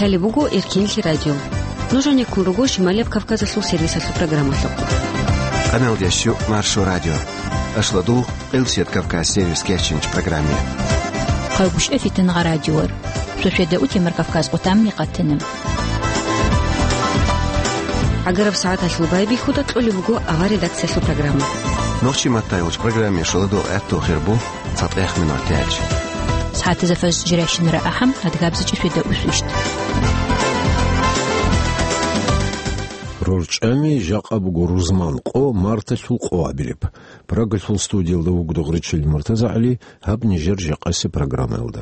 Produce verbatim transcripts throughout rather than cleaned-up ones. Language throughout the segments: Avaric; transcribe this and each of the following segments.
Лъалеб буго Эркенлъи радио. Нуж гьанеккун руго Шималияб Кавказалъул сервисалъул программалъухъ. Къаналдеш щу Маршо радио. Ашладул Къилсият Кавказ сервис кечинч программе. Хъайгушев Фитнагъа радиор. Сосиеда утемар Кавказ къутамни къатана. ГӀагараб сагӀаталъул байбихьуда кьолеб буго авар редакциялъул программа. Нохчи маттайулч программе шоладул гӀатту хирбу цатӀех минут тяч. СагӀатазда фажр жирайщинара ахӀам, адгабзичӀи светда усвищт. РорчӀами жакъа буго рузман къо марталъул къо абилеб. Прагалъул студиялда вуго Дугъричил МуртазагӀали, гьаб нижер жакъаси программаялда.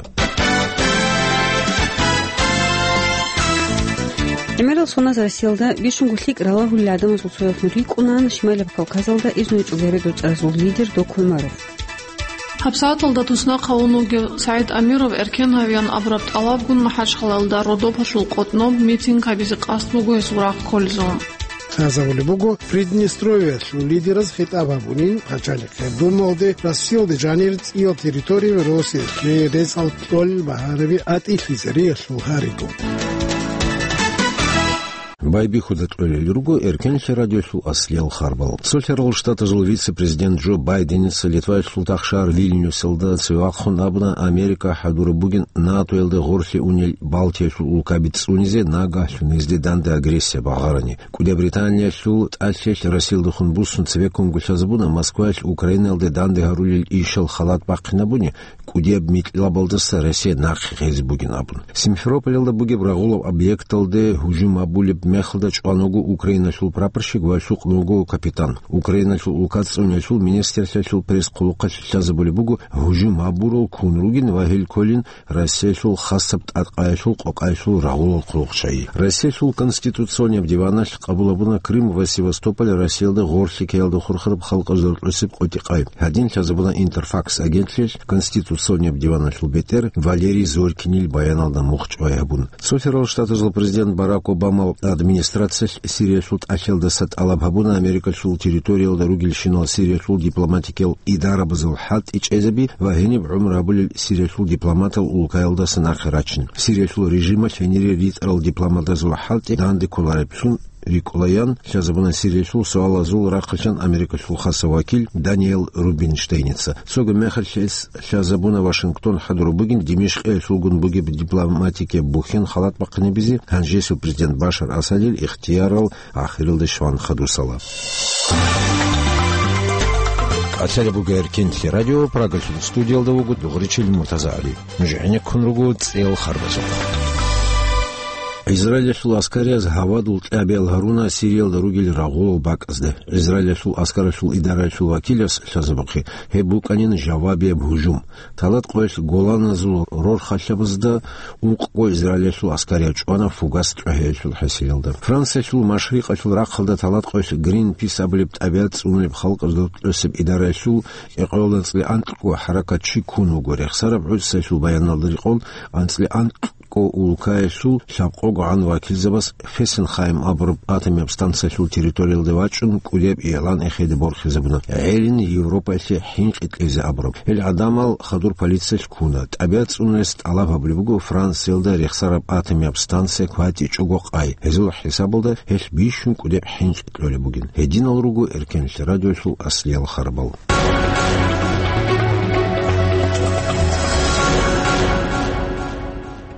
ГӀемерал соналъ Россиялда бищунго лъикӀ ралагьулел гӀадамазул цоялъун рикӀкӀунаан Шималияб Кавказалда изну гьечӀого росдал цӀаразул лидер Доку ГӀумаров. ГьабсагӀаталда туснахъ гьавун вугев СагӀид Амиров эркен гьавеян абураб тӀалабгун МахӀачхъалаялда Родопалъул къотӀноб митинг гьабизе къасд буго гьесул рагъ кколезул. Лъазабулеб буго, Приднестровьялъул лидераз хитӀаб гьабунин Пачалихъ Думалде Россиялде жанир цӀиял территорияби росиялъе рецӀал кьолел багьараби атӀилъизе риялъул гьариго. Байбихьуда кьолел руго Эркенлъи радиолъул аслиял харбал. Цолъарал Штатазул вице-президент Джо Байденица Литваялъул тахшагьар Вильнюсалда цеве вахъун абуна, Америка хӀадураб бугин НАТОялда гъорлъе унел Балтиялъул улкаби цӀунизе, нагагьлъун гьезде данде агрессия багъарани. КӀудияб Британиялъул тӀалъиялъ Россиялдехун буссун цевеккун гулъазабуна Москваялъ Украинаялде данде гьарулел ишал халат бахъинабуни, кӀудияб микьлабалдаса Россия нахъе гьезе бугин абун. Симферополалда бугеб рагъулаб объекталде гьужум гьабулеб мехалда чӀван вуго Украиналъул прапорщик ва лъукъун вуго капитан. Украиналъул улка цӀуниялъул министрлъиялъул пресс-хъулухъалъ лъазабулеб буго, гьужум гьабурал ккун ругин ва гьел кколин Россиялъул хасаб тӀадкъаялъул къокъаялъул рагъулал хъулухъчагӀи. Россиялъул Конституционияб диваналъ къабул гьабуна Крым ва Севастополь Россиялда гъорлъе ккеялда хурхараб халкъазда рокьосеб къотӀи-къай. Гьадин лъазабуна Интерфакс агентлъиялъ Конституционияб диваналъул бетӀер Валерий Зорькинил баяналда мухь чӀвай гьабун. Цолъарал Штатазул президент Барак Обамал администрациялъ Сириялъул тӀалъиялдаса тӀалаб гьабуна Америкалъул территориялда ругелщинал Сириялъул дипломатикиял идарабазул хӀалтӀи чӀезаби ва гьениб гӀумру гьабулел Сириялъул дипломатал улкаялдаса нахъе рачин. Сириялъул режималъ гьенире ритӀарал дипломатазул хӀалтӀи данде кколареблъун рикӀкӀунаян лъазабуна Сириялъул суалазул рахъалъан Америкалъул хасав вакил Даниэл Рубинштейница. Цого мехалъ гьес лъазабуна Вашингтон хӀадураб бугин Димишкъиялъулгун бугеб дипломатикияб бухьен халат бахъинабизе, гьанжесул президент Башар Асадил ихтиярал ахиралде щван хадусала. Къалъала бугеб Эркенлъи радио, Прагалъул студиялда вуго Дугъричил МуртазагӀали. Нуж гӀенеккун руго цӀел харбазухъ. Израилалъул аскарияз гьавадул тӀабигӀал гьаруна Сириялда ругел рагъулал бакӀазде. Израилалъул аскаралъул идараялъул вакилас лъазабухъе, гьеб букӀанин жавабияб гьужум. Талат къоялъ Голаназул рорхалъабазда ункъго Израилалъул аскарияв чӀвана фугас тӀогьиялъул хӀасилалда. Франциялъул машрикъалъул рахъалда талат къоялъ Гринпис абулеб тӀабигӀат цӀунулеб халкъазда рокьосеб идараялъул Экъолда анцӀила анкьго хӀаракатчи ккун вуго. Рехсараб гӀуцӀиялъул баяналда рекъон, анцӀила анкьго улкаялъул лъабкъогогӀан вакилзабаз Фессенхайм абураб атомияб станциялъул территориялде вачӀун кӀудияб игълан эхеде борхизабуна, гӀелин Европаялъе хӀинкъи кьезе абураб. Гьел гӀадамал хадур полициялъ ккуна. ТӀабигӀат цӀунулес тӀалаб гьабулеб буго Франциялда рехсараб атомияб станция кватӀичӀого къай. Гьезул хӀисабалда гьелъ бищун кӀудеб хӀинкъи кьолеб бугин. Гьединал руго Эркенлъи радиолъул аслиял харбал.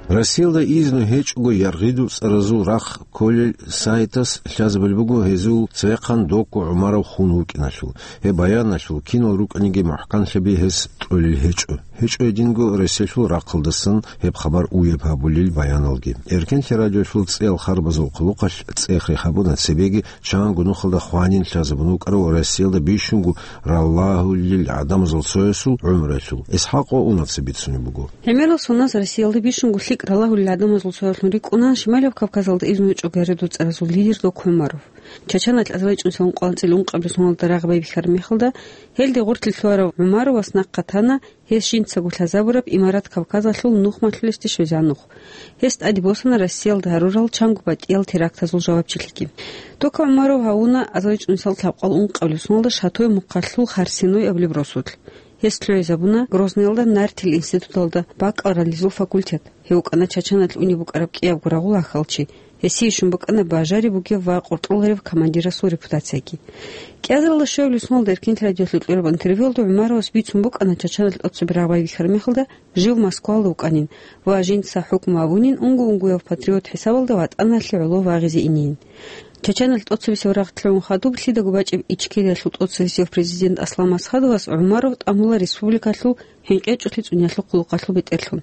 Россиялда изну гьечӀого яргъидул цӀаразул рахъ кколел сайтас лъазабулеб буго гьезул цевехъан Доку ГӀумаров хун вукӀиналъул. Гьеб баяналъул кинал рукӀаниги мухӀканлъаби гьес кьолел гьечӀо. ГьечӀо гьединго Россиялъул рахъалдасан гьеб хабар уяб гьабулел баяналги. Эркенлъи радиолъул цӀел харбазул хъулухъалъ цӀех рехабуна цебеги чанго нухалда хванин лъазабун вукӀарав Россиялда бищунго ралагьулел гӀадамазул цоясул гӀумруялъул. ИсхӀакъ Унавца бицунеб буго. ГӀемерал соналъ Россиялда бищунго лъикӀ ралагьулел гӀадамазул цоялъун рикӀкӀуна Шималияб Кавказалда изну гьечӀого яргъидул цӀаразул лидер Доку ГӀумаров. Чачаналъ азарилчӀун цӀалун къванцӀил ункъабилеб соналда рагъ байбихьараб мехалда, гьелде гъорлъе лъугьарав ГӀумаров ва нахъа тана гьес жинцаго лъазабураб Имарат Кавказалъул нухмалъулесде щвезегӀан нух. Гьес тӀаде босана Россиялда гьарурал чанго батӀиял терактазул жавабчилъиги. Доку ГӀумаров гьавуна азарилчӀунел лъабкъоялда ункъабилеб соналда Шатое мухъалъул Харсиной абулеб росулъ. Гьес лъугӀизабуна Грозныйалда нартил институталда бакӀаларалъул факультет. Гьев вукӀана Чачаналъ унеб букӀараб кӀиябго рагъул ахьалчи. Гьесие щун букӀана бажари бугев ва къоркьоларев командирасул репутацияги. КӀиазаралда щуабилеб соналда Эркин радиолъе кьураб интервьюялда ГӀумаровас бицун букӀана Чачаналъ тӀоцебе рагъ байбихьараб мехалда жив Москваялда вукӀанин ва жинца хӀукму абунин унго-унгояв патриот хӀисабалда ватӀаналъе гӀоло вагъизе инейин. Чачаналъ тӀоцебесеб рагъ лъугӀун хадуб лъидаго бачӀеб Ичкериялъул тӀоцебесев президент Аслан Масхадовас ГӀумаров тӀамула республикалъул хӀинкъичӀолъи цӀуниялъул хъулухъалъул бетӀерлъун.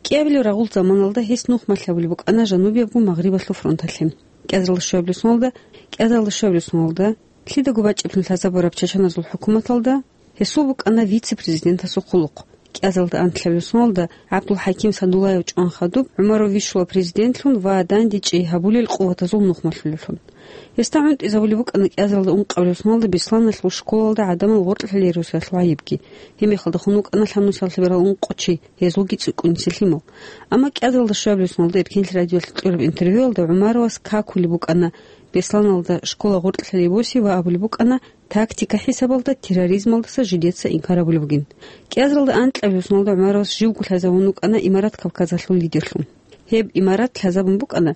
КӀиабилеб рагъул заманалда гьес нухмалъ гьабулеб букӀана жанубиябго Магърибалъул фронталъе. КӀиазаралда щуабилеб соналда, кӀиазаралда щуабилеб соналда, лъидаго бачӀаблъун лъазабураб чачаназул хӀукуматалда гьесул букӀана вице-президентасул хъулухъ. КӀиазаралда анлъабилеб соналда ГӀабдулхӀаким Садуллаев чӀван хадуб, ГӀумаров вищула президентлъун ва дандечӀей гьабулел къуватазул нухмалъулевлъун. Гьесда гӀунтӀизабулеб букӀана кӀиазаралда ункъабилеб соналда Бесланалъул школалда гӀадамал гъоркьлъалей росиялъул гӀайибги. Гьеб мехалда хун вукӀана лъабнусал лъабарал ункъо чи, гьезулги цӀикӀкӀуниса лъимал. Амма кӀиазаралда щуабилеб соналда Эркин радиолъе кьураб интервьюялда ГӀумаровас какулеб букӀана Бесланалда школа гъоркьлъалей боси ва абулеб букӀана, тактика хӀисабалда терроризмалдаса жидеца инкар гьабулеб бугин. КӀиазаралда анкьабилеб соналда ГӀумаровас живго лъазабун вукӀана Имарат Кавказалъул лидерлъун. Гьеб имарат лъазабун букӀана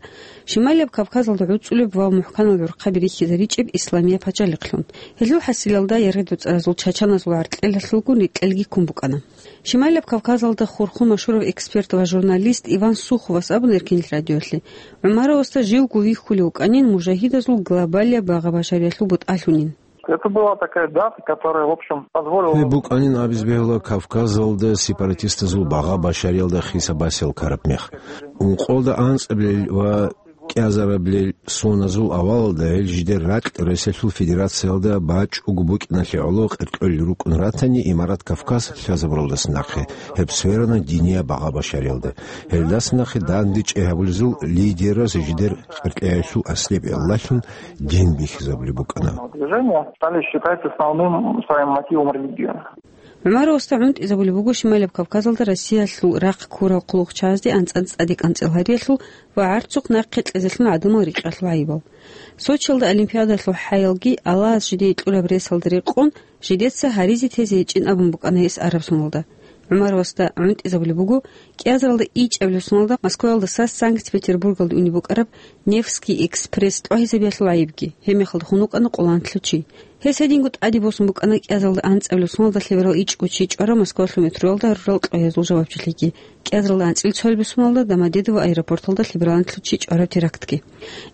Шималияб Кавказалда гӀуцӀулеб ва мухӀканал гӀурхъаби рихьизаричӀеб исламияб пачалихълъун. Гьелъул хӀасилалда яргъи-доцӀаразул чачаназул гӀаркьелалъулгун рекьелги ккун букӀана. Шималияб Кавказалда хурхун машгьурав эксперт ва журналист Иван Суховас абуна Эркин радиолъе, ГӀумаровасда живго вихьулев вукӀанин мужагьидазул глобалияб багъа-башариялъул бутӀалъунин. Это была такая дата, которая, в общем, позволила... Гьеб букӀанин абиз бегьула Кавказалда сепаратистазул багъа-башариялда хиса-басиял ккараб мех. Ункъоялда анцӀабилел ва кӀиазарабилел соназул авалалда гьел жидер ракь Россиялъул Федерациялда бачӀого букӀиналъе гӀоло къеркьел рукӀун ратани Имарат Кавказ лъазабуралдаса нахъе, гьеб сверана динияб багъа-башариялда. Гьелдаса нахъе дандечӀей гьабулезул лидераз жидер къеркьеялъул аслияб гӀиллалъун дин бихьизабулеб букӀана. Движения стали считать основным своим мотивом религию. ГӀумаровасда гӀунтӀизабулеб буго Шималияб Кавказалда Россиялъул рахъ ккурал хъулухъчагӀазде анцӀ-анцӀ тӀаде кӀанцӀил гьариялъул ва гӀарцухъ нахъе кьезелъун гӀадамал рикьалъул гӀайибал. Сочиялда Олимпиадалъул хӀаялги Аллагьас жидее кьураб ресалда рекъон, жидеца гьаризе тезе гьечӀин абун букӀана гьес араб соналда. ГӀумаровасда гӀунтӀизабулеб буго кӀиазаралда ичӀабилеб соналда Москваялдаса Санкт-Петербургалде унеб букӀараб Невский экспресс тӀогьизабиялъул гӀайибги, гьеб мехалда хун вукӀана къоло анлъго чи. Гьес гьединго тӀаде босун букӀана кӀиазаралда анцӀабилеб соналда лъеберал ичӀго чи чӀварав Москвалъул метроялда гьарурал тӀогьазул жавабчилъиги. КӀиазаралда анцӀил цоялбеб соналда Домодедово аэропорталда лъеберал анлъго чи чӀвараб терактги.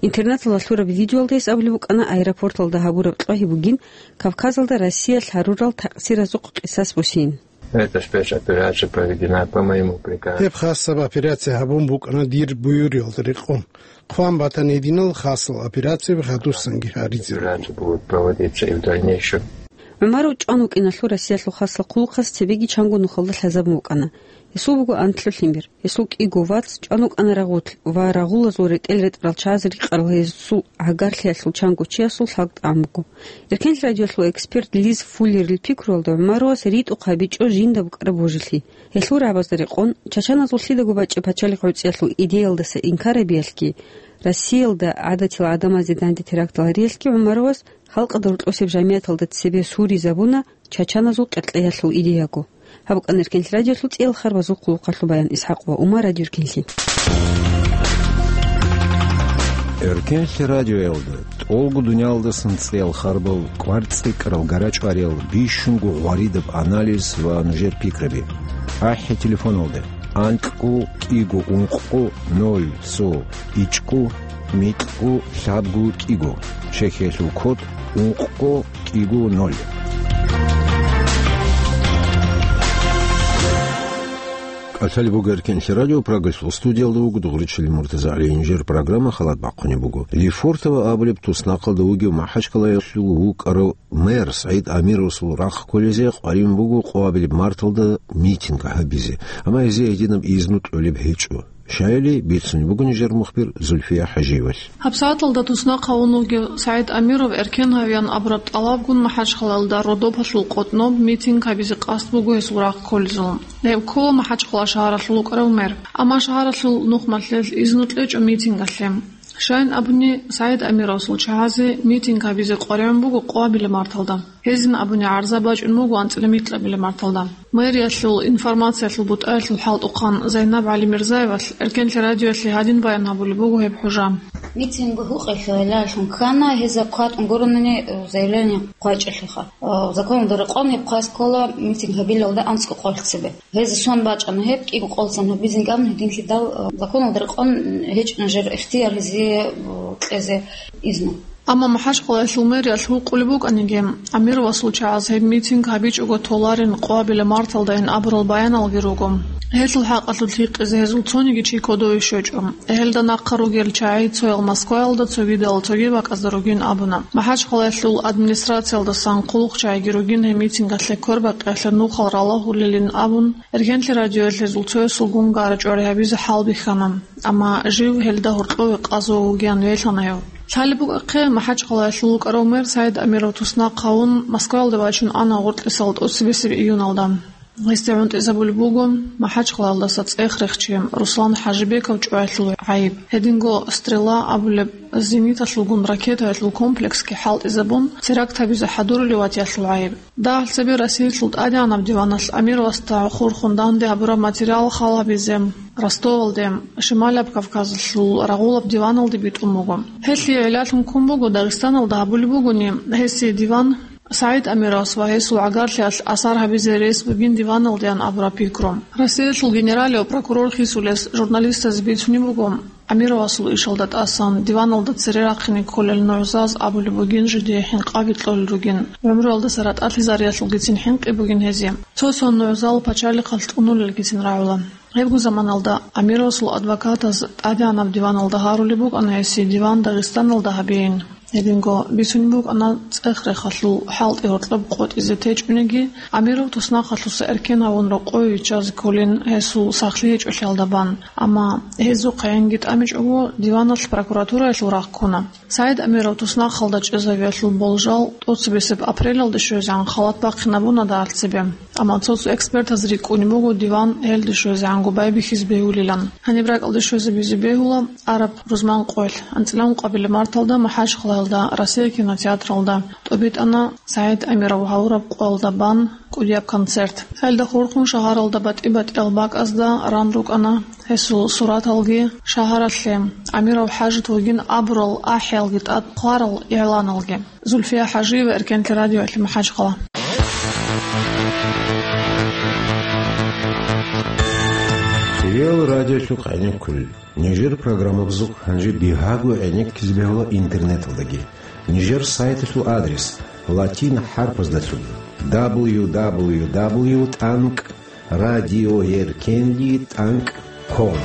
Интернеталда лъураб видеоялда гьес абулеб букӀана аэропорталда гьабураб тӀогьи бугин Кавказалда Россиялъ гьарурал такъсиразухъ къисас босин. Эта спецоперация проведена по моему приказу. Гьеб хасаб операция гьабун букӀана дир буюриялда рекъон. Хъван батани гьединал хасал операцияби хадусанги гьаризе руго. Операция будет проводиться и в дальнейшем. ГӀумаров чӀван вукӀиналъул Россиялъул хасал хъулухъас цебеги чанго нухалда лъазабун вукӀана. Гьесул буго анлъго лъимер. Гьесул кӀиго вац чӀван вукӀана рагъулъ ва рагъулазул ретӀел ретӀарал чагӀаз рикъарал гьесул гӀагарлъиялъул чанго чиясул лъабтӀан буго. Эркенлъи радиолъул эксперт Лиз Фуллерил пикруялда, ГӀумаровас ритӀухъ гьабичӀо жинда букӀараб божилъи. Гьелъул рагӀабазда рекъон, чачаназул лъидаго бачӀеб пачалихъ гӀуцӀиялъул идеялдаса инкар гьабиялъги, Россиялда гӀадатил гӀадамазде данде терактал гьариялъги ГӀумаровас халкъалда рокьосеб жамигӀаталда цебе суризабуна чачаназул къеркьеялъул идеяго. Гьаб букӀана Эркенлъи радиолъул цӀиял харбазул хъулухъалъул баян. Исхьакъ ва Умар, Радио Эркенлъи. Эркенлъи радиоялда тӀолго дуниялдасан цӀиял харбал, кӀвар цӀикӀкӀарал, гарачӀвариял, бищунго гъваридаб анализ ва нужер пикраби. АхӀи телефоналда: анкьго кӀиго ункъго ноль цо ичӀго микьго лъабго кӀиго, Чехиялъул код ункъго кӀиго ноль. КӀалъалеб буго Эркенлъи радио, Прагалъул студиялда вуго дугъричилин Муртазагьлиев. Жер программа халат бахъунеб буго. Лефортово абулеб туснахъалда вугев МахӀачкъалаялъул вукӀарав мэр СагӀид Амировасул рахъ кколезе къваригӀун буго къоабилеб марталда митинг гьабизе, амма гьезие гьединаб изну кьолеб гьечӀо. Щаяли бицунеб буго нижер мухбир Зульфия ХӀажиевалъ. ГьабсагӀаталда туснахъ гьавун вугев СагӀид Амиров эркен гьавиян абураб тӀалабгун МахӀачхъалаялда Родопалъул къотӀноб митинг гьабизе къасд буго гьесул рахъ кколезул. Гьеб ккола МахӀачхъала шагьаралъул вукӀарав мэр. Амма шагьаралъул нухмалъел изну кьечӀо митингалъе. Щайин абуни, СагӀид Амировасул чагӀазе митинг гьабизе къваригӀун буго къоабилеб марталда. Гьезин абуни гӀарза бачӀун буго анцӀила микьабилеб марталда. Мэриялъул информациялъул бутӀаялъул хӀалтӀухъан Зайнаб ГӀалимирзаевалъ Эркенлъи радиоялъе гьадин баян гьабулеб буго гьеб хӀужа. Митинг гьукъиялъул гӀиллалъун ккана, гьезда кватӀун гурони заявление хъвачӀелъиха. Э, законалда рекъон гьеб хъвай ккола митинг гьабилалда анцӀго къоялъ цебе. Гьезда сон бачӀана гьеб, кӀиго къолцин гьабизин абун гьединлъидал, э, законалда рекъон гьечӀо нужер ихтияр гьезие, э, кьезе изну. Амма МахӀачхъалаялъул мэриялъ гьукъулеб букӀаниги, Амировасул чагӀаз гьеб митинг гьабичӀого толарин къвабилеб марталдайин абурал баяналги руго. Гьелъул хӀакъалъулъ гьикъизе гьезул цониги чи кодове щочӀо. Гьелда нахъа ругел чагӀи цоял Москваялда цогидал цоги бакӀазда ругин абуна. МахӀачхъалаялъул администрациялдасан хъулухъчагӀиги ругин гьеб митингалъе квербакъиялъе нухал ралагьулелин абун, Эркенлъи радиоялъ гьезул цоясулгун гара-чӀвари гьабизе хӀалбихьана, амма жив гьелда гьоркьове къазо вугеян велъана гьев. Лъалеб букӀахъе, МахӀачхъалаялъул вукӀарав мэр СагӀид Амиров туснахъ гьавун Москваялда вачун ана гъоркьисал тӀоцебесеб июналда. Гьесде гӀунтӀизабулеб буго МахӀачхъалаялдаса цӀех рехчи Руслан ХӀажибеков чӀваялъул гӀайиб. Гьединго «Стрела» абулеб зениталъулгун ракетаялъул комплексги хӀалтӀизабун, теракт гьабизе хӀадурулев ватиялъул гӀайиб. Дагьал цебе Россиялъул ТӀадегӀанаб диваналъ Амировасда хурхун данде гьабураб материал хал гьабизе Ростовалде, Шималаб Кавказалъул рагъулаб диваналде битӀун буго. Гьелъие гӀиллалъун ккун буго, Дагъистаналда гьабулеб бугони гьесие диван, СагӀид Амировас ва гьесул гӀагарлъиялъ асар гьабизе рес бугин диваналдеян абураб пикру. Россиялъул генералияв прокурор хисулес журналистазе бицунеб буго, Амировасул ишалда тӀасан диваналда цере рахъине кколел нугӀзаз абулеб бугин, жидее хӀинкъаги кьолел ругин, гӀумруялдаса ратӀалъизариялъулгицин хӀинкъи бугин гьезие. Цо-цо нугӀзал пачалихъалъ тӀунулелгицин рагӀула. Гьебго заманалда Амировасул адвокатаз ТӀадегӀанаб диваналда гьарулеб букӀана гьесие диван Дагъистаналда гьабейин. Гьединго бицунеб букӀана цӀех рехалъул хӀалтӀи гьоркьоб къотӀизе течӀониги, Амиров туснахъалъуса эркен гьавун рокъове виччазе кколин гьесул сахлъи гьечӀолъиялда бан. Амма гьезухъ гӀенги тӀамичӀого, диваналъ прокуратураялъул рагъ ккуна. СагӀид Амиров туснахъалда чӀезавиялъул болжал тӀоцебесеб апрелалде щвезегӀан халат бахъинабуна дагьал цебе. Амма цо-цо экспертаз рикӀкӀунеб буго диван гьелде щвезегӀанго байбихьизе бегьулилан. Гьаниб ракӀалде щвезабизе бегьула араб рузман къоялъ. АнцӀила ункъабилеб марталда МахӀачхъалаялда Россия кинотеатралда тӀобитӀана СагӀид Амиров гьавураб къоялда бан кӀудияб концерт. Гьелда хурхун шагьаралда батӀи-батӀиял бакӀазда ран рукӀана гьесул сураталги. Шагьаралъе Амиров ХӀажат вугин абурал ахӀиялги тӀад хъварал игӀланалги. Зульфия ХӀажиева, Эркенлъи радиоялъе, МахӀачхъала. Реал радиолъухъ гӀенеккулел. Нижер программабазухъ гьанже бигьаго гӀенеккизе бегьула интернеталдаги. Нижер сайталъул адрес: латин хӀарпаздалъун: дабл ю дабл ю дабл ю тӀанкӀ радиоеркенли тӀанкӀ ком.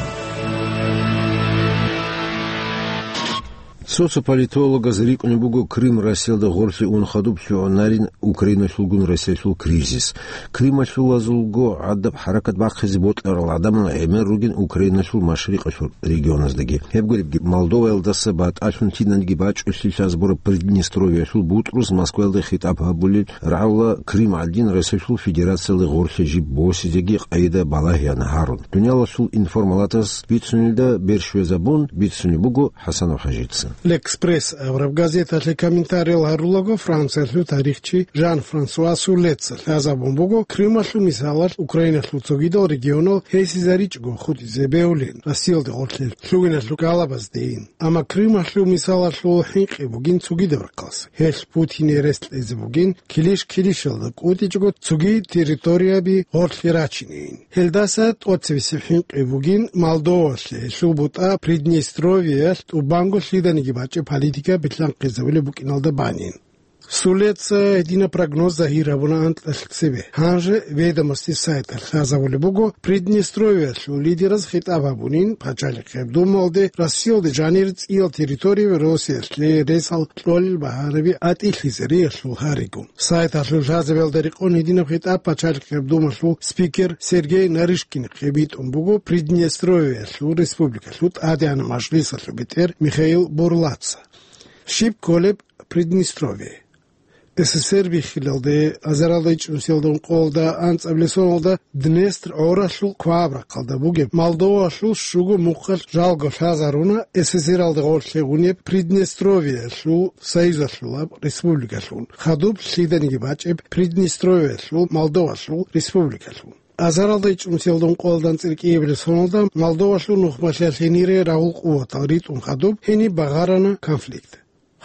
Цо-цо политологаз рикӀкӀунеб буго Крым Россиялда гъорлъе ун хадуб лъугӀунарин Украиналъулгун Россиялъул кризис. Крималъулазулго гӀадаб хӀаракат бахъизе бокьарал гӀадамал гӀемер ругин Украиналъул машрикъалъул регионаздаги. Гьеб гуребги, Молдоваялдаса батӀалъун киналги бачӀулъи лъазабураб Приднестровьялъул бутӀрус Москваялда хитӀаб гьабулел рагӀула Крым гӀадин Россиялъул Федерациялда гъорлъе жиб босизеги къайда балагьеян гьарун. Дуниялалъул информалатаз бицунелда берщвезабун бицунеб буго ХӀасанов ХӀажица. Лекспресс абураб газеталъе комментариял гьарулаго, Франциялъул тарихчи Жан-Франсуа Сулеца лъазабун буго Крымалъул мисалалъ Украиналъул цогидал регионал гьесизаричӀого хутӀизе бегьулин Россиялда гъорлъе лъугьиналъул кӀалабаздейин. Амма Крымалъул мисалалъул хӀинкъи бугин цогидаб рахъалъ. Гьелъ Путине рес кьезе бугин, килищ-килищалда кӀутӀичӀого цоги территорияби гъорлъе рачинейин. Гьелдаса тӀоцебесеб хӀинкъи бугин Молдовалъе гьелъул бутӀа Приднестровьеялъ тӀубанго лъиданиги бачӀеб политика билълъанхъизабулеб букӀиналда банин. Сулеца гьединаб прогноз загьир гьабуна анкьалъ цебе. Гьанже «Ведомости» сайталъ лъазабулеб буго, Приднестровьеялъул лидераз хитӀаб гьабунин Пачалихъеб Думалде Россиялда жанир цӀиял территорияби Россиялъе ресал кьолел багьараби атӀилъизариялъул гьариго. Сайталъул лъазабиялда рекъон гьединаб хитӀаб Пачалихъеб Думалъул спикер Сергей Нарышкинихъе битӀун буго Приднестровьеялъул республикалъул ТӀадегӀанаб мажлисалъул бетӀер Михаил Бурлаца. Щиб кколеб Приднестровье? СССР биххилалде, азаралда ичӀнусиялда ункъоялда анцӀабилеб соналда Днестр гӀоралъул кваб рахъалда бугеб Молдовалъул щуго мухъалъ жалго лъазаруна СССР-алда гъорлъ гьегъунеб Приднестровьеялъул союзалъулаб республикалъун, хадуб лъиданиги бачӀеб Приднестровьеялъул Молдовалъул республикалъун. Азаралда ичӀнусиялда ункъоялда анцӀила кӀиабилеб соналда Молдовалъул нухмалъиялъ гьенире рагъул къуватал ритӀун хадуб гьениб багъарана конфликт.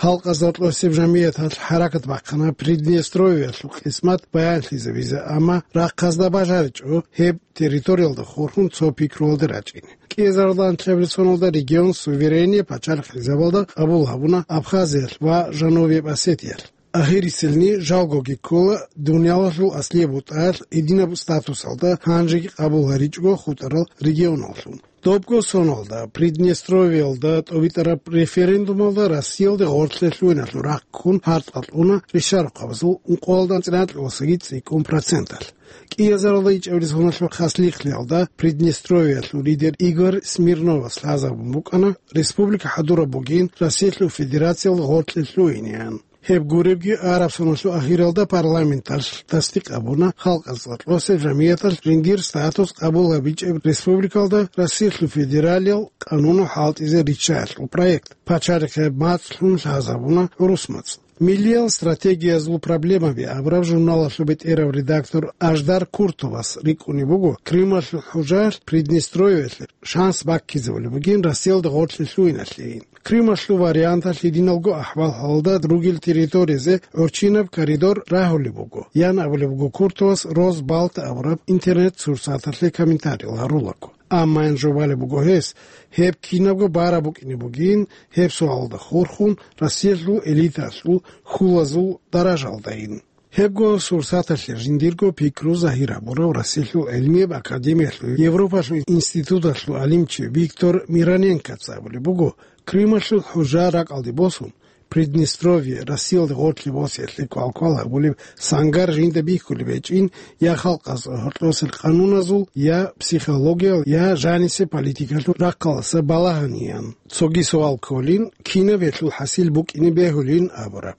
Халкъазда кьосеб жамигӀаталъ хӀаракат бахъана Приднестровьеялъул къисмат баянлъизабизе, амма рахъазда бажаричӀо гьеб территориялда хурхун цо пикруялде рачӀине. КӀиазаралда анлъабилеб соналда регион суверениял пачалихъзабазда къабул гьабуна Абхазиялъ ва Жанубияб Осетиялъ. Ахирисилни жалгоги ккола дуниялалъул аслияб бутӀаялъ гьединаб статусалда гьанжеги къабул гьаричӀого хутӀарал регионаллъун. Добго соналда Приднестровьеялда тӀобитӀараб референдумалда Россиялде гъорлъе лъугьиналъул рахъ ккун гьарцӀа кьуна ришарухъабазул ункъоялда анцӀила кьуласаги цӀикӀкӀун проценталъ. КӀиазаралда ичӀабилеб соналъул хасихълъиялда Приднестровьеялъул лидер Игорь Смирновас лъазабун букӀана республика хӀадураб бугин Россиялъул Федерациялда гъорлъе лъугьинеян. Гьеб гуребги, араб соналъул ахиралда парламенталъ тасдикъ гьабуна халкъазда кьосеб жамигӀаталъ жиндир статус къабул гьабичӀеб республикалда Россиялъул федералиял къануну хӀалтӀизе риччаялъул проект. Пачалихъе мацӀлъун лъазабуна гӀурус мацӀ. Миллиял стратегиязул проблемаби абураб журналалъул бетӀерав редактор Аждар Куртовас рикӀкӀунеб буго, Крымалъул хӀужалъ Приднестровьеялъе шанс баккизабулеб бугин Россиялда гъорлъе лъугьиналъейин. Крымалъул варианталъ гьединалго ахӀвал-хӀалалда ругел территориязе гӀорчинаб коридор рагьулеб буго, ян абулеб буго Куртовас Росбалт абураб интернет-сурсаталъе комментариял гьарулаго. Амма ин жубалеб буго гьес, гьеб кинабго бараб букӀине бугин, гьеб суалалда хурхун Россиялъул элитаялъул хьулазул даражалдайин. Гьебго сурсаталъе жиндирго пикру загьир гьабурав Россиялъул гӀилмияб академиялъул Европалъул институталъул гӀалимчи Виктор Мироненкоца абулеб буго, Крымалъул хӀужа ракӀалде босун, Приднестровье Россиялде гъорлъе босиялъе квалквал гьабулеб сангар жинда бихьулеб гьечӀин я халкъазул гьоркьосел къануназул, я психологиял, я жанисеб политикалъул рахъалдаса балагьаниян. Цоги суал кколин, кинаб гьелъул хӀасил букӀине бегьулин абураб.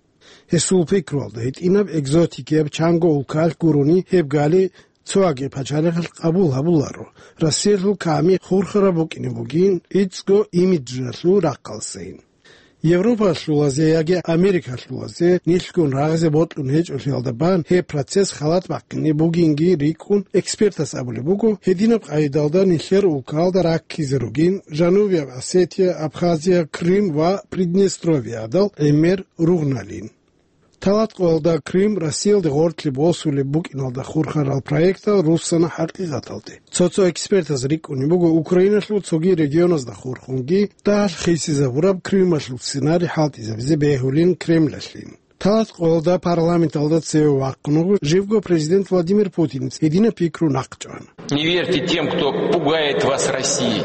Гьесул пикруялда гьитӀинаб экзотикияб чанго улкаялъ гурони гьеб гали цоги пачалихъалъ къабул гьабуларо. Россиялъул ками хурхараб букӀине бугин, гӀицӀго имиджалъул рахъалдасайин. Европалъулазе яги Америкалъулазе нилъгун рагъизе бокьун гьечӀолъиялда бан гьеб процесс халат бахъине бугинги рикӀкӀун, экспертас абулеб буго, гьединаб къагӀидалда нилъер улкаялда раккизе ругин Жанубияб Осетия, Абхазия, Крым ва Приднестровьеялдал гӀемер ругъналин. Талат къоялда Крым Россиялде гъорлъе босулеб букӀиналда хурхарал проектал руссана хӀакъикъаталде. Цо-цо экспертаз рикӀкӀунеб буго Украиналъул цоги регионазда хурхунги дагьалъ хисизабураб Крымалъул сценарий хӀалтӀизабизе бегьулин Кремлалъин. Талат къоялда парламенталда цеве вахъун вуго живго президент Владимир Путинец гьединаб пикру нахъчӀван. Не верьте тем, кто пугает вас Россией,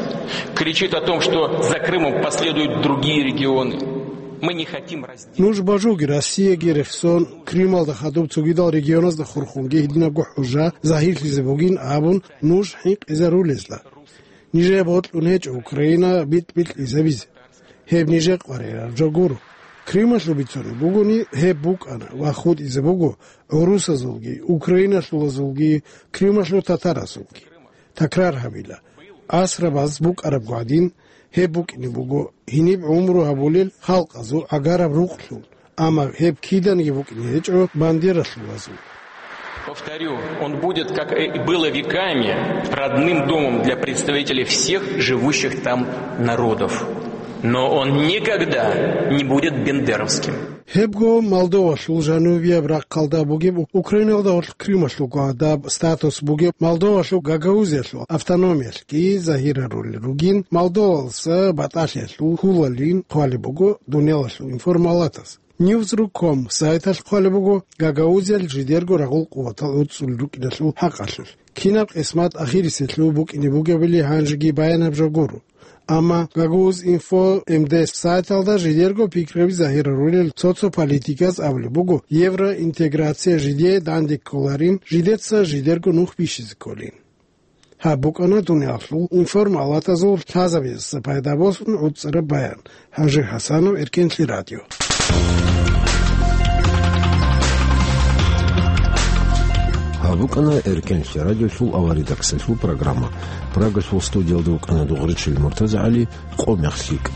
кричит о том, что за Крымом последуют другие регионы. Мы не хотим раздела. Нуж бажуги Россияги рехсон, Крымалда хадуб цогидал регионазда хурхунги гьединабго хӀужа загьирлъизе бугин абун нуж хӀинкъизарулезла. Нижее бокьун гьечӀо Украина битӀ-битӀизабизе. Гьеб нижер къваригӀараб жо гуро. Крымалъул бицунеб бугони, гьеб букӀана ва хутӀизе буго гӀурусазулги, украиналъулазулги, Крымалъул татаразулги. Такрар гьабила, асрабаз букӀараб гӀадин, гьеб букӀине буго гьениб гӀумру гьабулел халкъазул гӀагараб рукълъун, амма гьеб киданиги букӀине гьечӀо бандералъулазул. Повторю, он будет, как и было веками, родным домом для представителей всех живущих там народов. Но он никогда не будет бендеровским. Гьебго Молдовалъул жанубияб рахъалда бугеб, Украиналда гъорлъ Крымалъулго гьадаб статус бугеб Молдовалъул Гагаузиялъул автономиялъги загьирарулел ругин, Молдовалса батӀалъиялъул хьулалин хъвалеб буго дуниялалъул информалатаз. Ньюзру ком сайталъ хъвалеб буго Гагаузиял жидерго рагъул къуватал гӀуцӀулел рукӀиналъул хӀакъалъулъ. Кинаб къисмат ахирисеблъун букӀине бугебали гьанжеги баянаб жо гуро. Амма Гагаузинфо М Д С сайталда жидерго пикраби загьирарулел цо-цо политиказ абулеб буго, евроинтеграция жидее данде кколарин, жидеца жидерго нух бищизе кколин. Гьаб букӀана дуниялалъул информалатазул лъазабиялдаса пайда босун гӀуцӀараб баян. ХӀажи ХӀасанов, Эркенлъи радио. БукӀана Эркенлъи радиолъул аваридаксалъул программа. Прагалъул студиялда вукӀана Дугъричил МуртазагӀали. Къо мех лъикӀ.